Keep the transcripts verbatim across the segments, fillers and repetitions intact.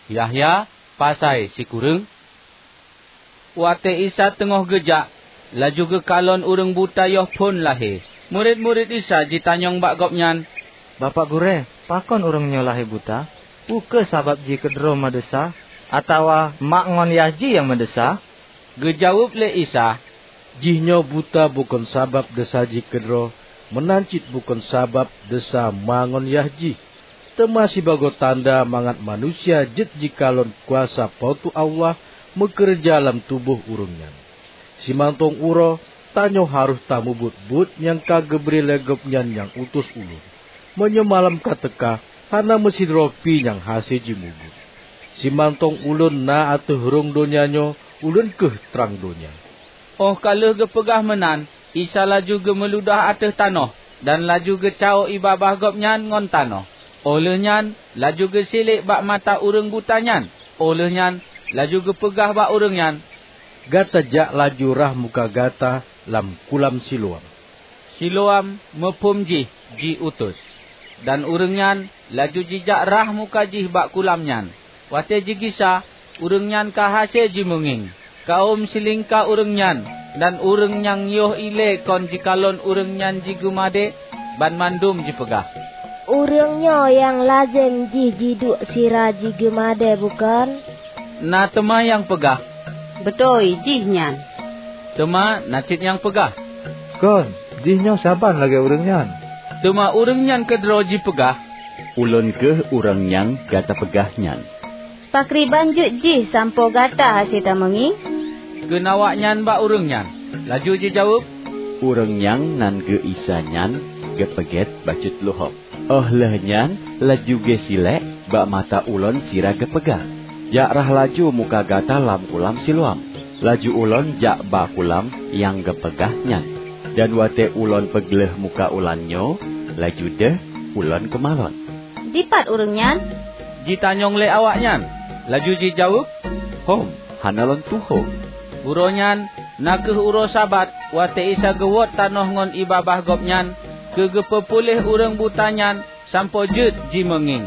Yahya, pasai sikureueng? Watée Isa teungoh geujak, laju geukalon ureuëng buta yoh phon lahé. Murit-murit Isa jitanyong bak Gobnyan, "Bapak Gurée, pakon ureuëng nyoe lahé buta? Peu kheueh sabab jih keudroe meudesya, atawa mak ngon yah jih nyang meudesya?" Geujaweueb lé Isa, "Jihnyoe buta bukon sabab desya jih keudroe, meunan cit bukon sabab desya ma ngon yah jih, teuma sibagoe tanda mangat manusia jeuet jikalon kuasa Po teu Allah meukeureuja lam tuboh ureuëng nyan. Simantong uroe, tanyoe harôh tamubuet buet nyang ka geubri lé Gobnyan nyang utus ulôn. Meunyoe malam ka teuka, hana meusidroe pi nyang hase jimubuet. Simantong ulôn na ateueh rhueng donya nyoe, ulôn kheueh trang donya." Óh ka lheueh geupeugah meunan, Isa laju geumeuludah ateueh tanoh, dan laju geucawök ié babah Gobnyan ngon tanoh. Óh lheueh nyan, laju geusilék bak mata ureuëng buta nyan. Óh lheueh nyan, laju geupeugah bak ureuëng nyan, "Gata jak laju rhah muka gata lam kulam Siloam." Siloam, muphom jih, "Jiutus." Dan ureuëng nyan laju jijak rhah muka jih bak kulam nyan. Watée jigisa, ureuëng nyan ka hase jimeungieng. Kawöm silingka ureuëng nyan dan ureuëng nyang yoh ilée kon jikalon ureuëng nyan jigeumadé, banmandum jipeugah, "Ureuëng nyoe nyang lazem jih jiduek sira jigeumadé, bukon?" Na teuma nyang peugah, "Beutôi, jih nyan." Teuma na cit nyang peugah, "Kon, jihnyoe saban lagée ureuëng nyan." Teuma ureuëng nyan keudroe jipeugah, "Ulôn kheueh ureuëng nyang gata peugah nyan." "Pakriban jeuet jih sampoe gata hase tameungieng?" kheun awaknyan bak ureuëng nyan. Laju jijaweueb, "Ureuëng nyang nan geu Isa nyan geupeugét bacut luhob. Óh lheueh nyan laju geusilék bak mata ulôn sira geupeugah, 'Jak rhah laju muka gata lam kulam Siloam.' Laju ulôn jak ba kulam nyang geupeugah nyan, dan watée ulôn peugleh muka ulan nyoe, laju deuh ulôn keumalon." "Dipat ureuëng nyan?" jitanyong lé awaknyan. Laju jijaweueb, "Hom, hana lôn tuho." Uroe nyan, na kheueh uroe Sabat, watée Isa geuwot tanoh ngon ié babah Gobnyan keu geupeupuléh ureuëng buta nyan sampoe jeuet jimeungieng.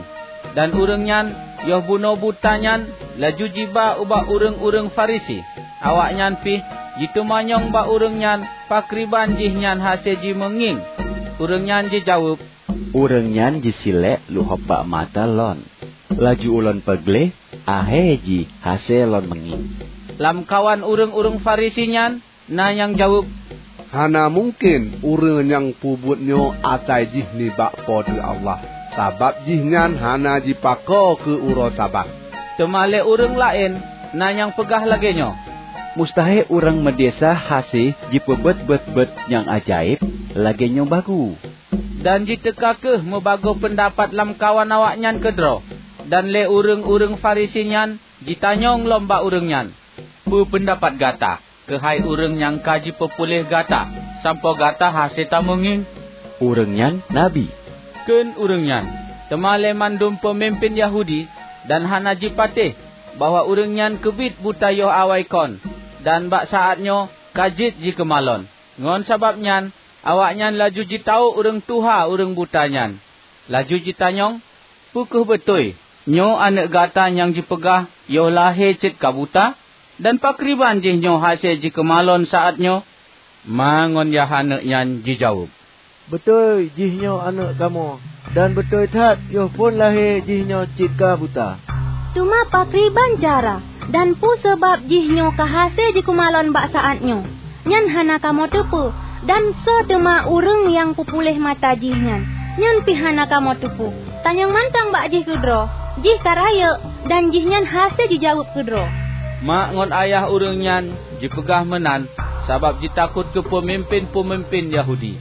Dan ureuëng nyan yoh bunoe buta nyan laju jiba ubak ureuëng-ureuëng Farisi. Awaknyan pih jiteumanyong bak ureuëng nyan pakriban jih nyan hase jimeungieng. Ureuëng nyan jijaweueb, "Ureuëng nyan jisilék luhob bak mata lôn, laju ulôn peugleh, ahé jih hase lôn meungieng." Lamkawan ureuëng-ureuëng Farisi nyan na nyang jaweueb, "Hana mungken ureuëng nyang peubuet nyoe asai jih nibak Po teu Allah, sabab jihnyan hana jipakoe keu uroe Sabat." Teuma lé ureuëng laén na nyang peugah lagée nyoe, "Mustahé ureuëng meudesya hase jipeubuet buet-buet nyang ajaéb lagée nyoe bagoe." Dan jiteuka kheueh meubagoe peundapat lamkawan awaknyan keudroe. Dan lé ureuëng-ureuëng Farisi nyan jitanyong lom bak ureuëng nyan, "Peue peundapat gata keuhai ureuëng nyang ka jipeupuléh gata sampoe gata hase tameungieng?" "Ureuëng nyan nabi," kheun ureuëng nyan. Teuma lé mandum peumimpén Yahudi dan hana jipatéh bahwa ureuëng nyan keubiet buta yoh awai kon, dan bak saát nyoe ka jeuet jikeumalon. Ngon sabab nyan, awaknyan laju jitawök ureuëng tuha ureuëng buta nyan, laju jitanyong, "Peu kheueh beutôi nyoe aneuëk gata nyang jipeugah yoh lahé cit ka buta? Dan pakriban jihnyoe hase jikeumalon saát nyoe?" Ma ngon yah aneuëk nyan jijaweueb, "Beutôi, jihnyoe aneuëk kamoe, dan beutôi that yoh phon lahé jihnyoe cit ka buta. Teuma pakriban cara dan peue sabab jihnyoe ka hase jikeumalon bak saát nyoe, nyan hana kamoe teupeue, dan soe teuma ureuëng nyang peupuléh mata jihnyan, nyan pih hana kamoe teupeue. Tanyong mantong bak jih keudroe, jih ka rayeuk, dan jihnyan hase jijaweueb keudroe." Mak ngon ayah ureuëng nyan jipeugah meunan sabab jitakot keu peumimpén-peumimpén Yahudi.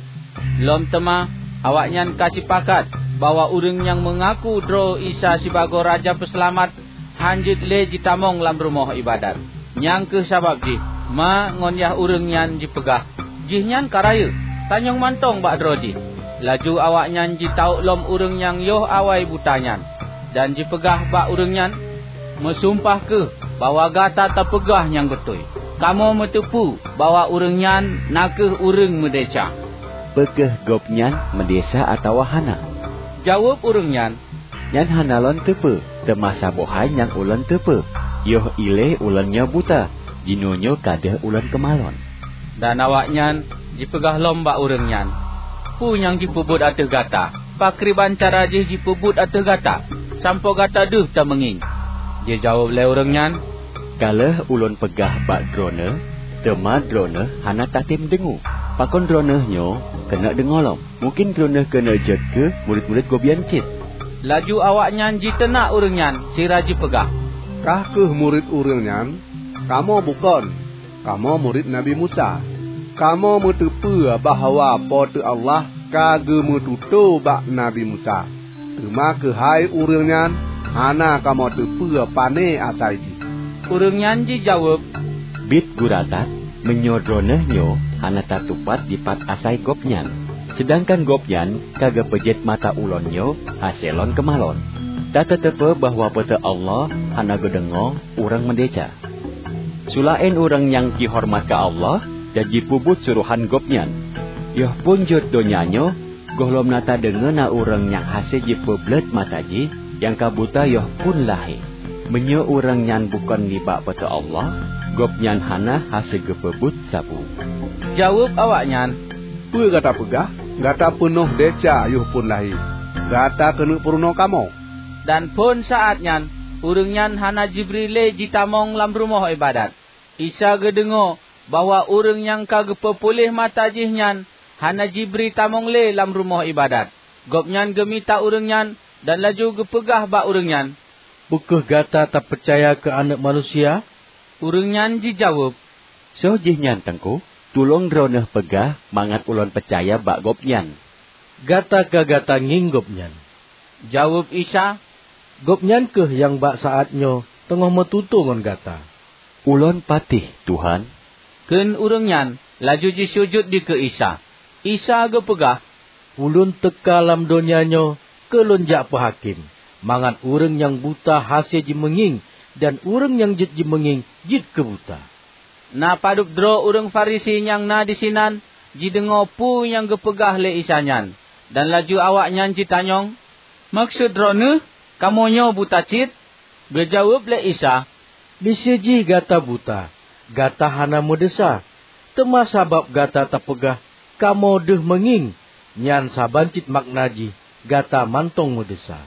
Lom teuma, awaknyan ka sipakat bahwa ureuëng nyang meungaku droe Isa sibagoe Raja Peuseulamat hán jeuet lé jitamong lam rumoh iébadat. Nyang kheueh sabab jih ma ngon yah ureuëng nyan jipeugah, "Jihnyan ka rayeuk, tanyong mantong bak droe jih." Laju awaknyan jitawök lom ureuëng nyang yoh awai buta nyan, dan jipeugah bak ureuëng nyan, "Meusumpah kheueh bahwa gata tapeugah nyang beutôi. Kamoe meuteupeue bahwa ureuëng nyan na kheueh ureuëng meudesya." "Peu kheueh gobnyan meudesya atawa hana?" jaweueb ureuëng nyan. Nyan hana lôn teupeue, teuma saboh hai nyang ulôn teupeue, yoh ilée ulôn nyoe buta, jinoenyoe ka deuh ulôn keumalon." Dan awaknyan jipeugah lom bak ureuëng nyan, "Peue nyang jipeubuet ateueh gata? Pakriban cara jih jipeubuet ateueh gata, sampoe gata deuh tameungieng?" Jijaweueb lé ureuëng nyan, "Ka lheueh ulôn peugah bak droeneueh, teuma droeneueh hana tatem deungoe. Pakon droeneueh nyoe keuneuk deungoe lom? Mungken droeneueh keuneuk jeuet keu murit-murit Gobnyan cit." Laju awaknyan jiteunak ureuëng nyan sira jipeugah, "Kah kheueh murit ureuëng nyan? Kamoe bukon! Kamoe murit Nabi Musa. Kamoe meuteupeue bahwa Po teu Allah ka geumeututoe bak Nabi Musa, teuma keuhai ureuëng nyan hana kamoe teupeue pané asai jih." Ureuëng nyan jijaweueb, "Biet gura that, meunyoe droeneueh nyoe hana tatupat dipat asai gobnyan, seudangkan gobnyan ka geupeujeuet mata ulôn nyoe hase lôn keumalon. Tatateupeue bahwa Po teu Allah hana geudeungoe ureuëng meudesya. Seulaén ureuëng nyang jihoreumat keu Allah dan jipeubuet surohan Gobnyan. Yoh phon jeuet donya nyoe, gohlom na tadeungoe na ureuëng nyang hase jipeubleuet mata jih nyang ka buta yoh phon lahé. Meunyoe ureuëng nyan bukon nibak Po teu Allah, gobnyan hana hase geupeubuet sapeue." Jaweueb awaknyan, "Peue gata peugah? Gata peunoh desya yoh phon lahé. Gata keuneuk peurunoe kamoe." Dan phon saát nyan ureuëng nyan hana jibri lé jitamong lam rumoh iébadat. Isa geudeungoe bahwa ureuëng nyang ka geupeupuléh mata jih nyan hana jibri tamong lé lam rumoh iébadat. Gobnyan geumita ureuëng nyan dan laju geupeugah bak ureuëng nyan, "Peu kheueh gata tapeucaya keu Aneuëk Manusia?" Ureuëng nyan jijaweueb, "Soe jihnyan, Teungku? Tulông droeneueh peugah mangat ulôn peucaya bak Gobnyan." "Gata ka gata ngieng Gobnyan," jaweueb Isa. "Gobnyan kheueh nyang bak saát nyoe teungoh meututoe ngon gata." "Ulôn patéh, Tuhan," kheun ureuëng nyan, laju jisujut dikeue Isa. Isa geupeugah, "Ulôn teuka lam donya nyoe keu Lôn jak peuhakém, mangat ureuëng nyang buta hase jimeungieng dan ureuëng nyang jeuet jimeungieng jeuet keu buta." Na padub droe ureuëng Farisi nyang na disinan jideungoe peue nyang geupeugah lé Isa nyan, dan laju awaknyan jitanyong, "Meukeusut Droeneueh kamoe nyoe buta cit?" Geujaweueb lé Isa, "Miseue jih gata buta, gata hana meudesya. Teuma sabab gata tapeugah, 'Kamoe deuh meungieng,' nyan saban cit makna jih gata mantong meudesya.